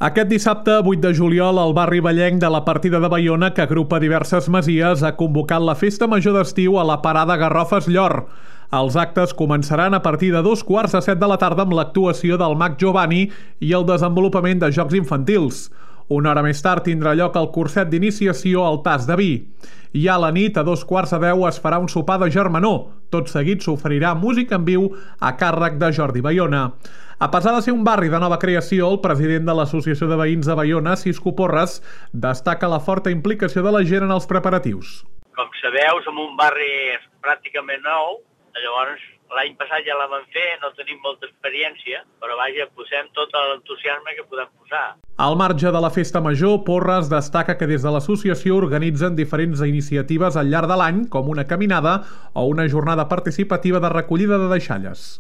Aquest dissabte, 8 de juliol, el barri vallenc de la Partida de Baiona, que agrupa diverses masies, ha convocat la Festa Major d'Estiu a la Parada Garrofes Llor. Els actes començaran a partir de 7:15 de la tarda amb l'actuació del mag Giovanni i el desenvolupament de jocs infantils. Una hora més tard tindrà lloc el curset d'iniciació al tas de vi. I a la nit, a 9:15, es farà un sopar de germanor. Tot seguit s'oferirà música en viu a càrrec de Jordi Baiona. A pesar de ser un barri de nova creació, el president de l'Associació de Veïns de Baiona, Cisco Porres, destaca la forta implicació de la gent en els preparatius. Com sabeu, som un barri pràcticament nou, llavors l'any passat ja la vam fer, no tenim molta experiència, però vaja, posem tot l'entusiasme que podem posar. Al marge de la Festa Major, Porres destaca que des de l'associació organitzen diferents iniciatives al llarg de l'any, com una caminada o una jornada participativa de recollida de deixalles.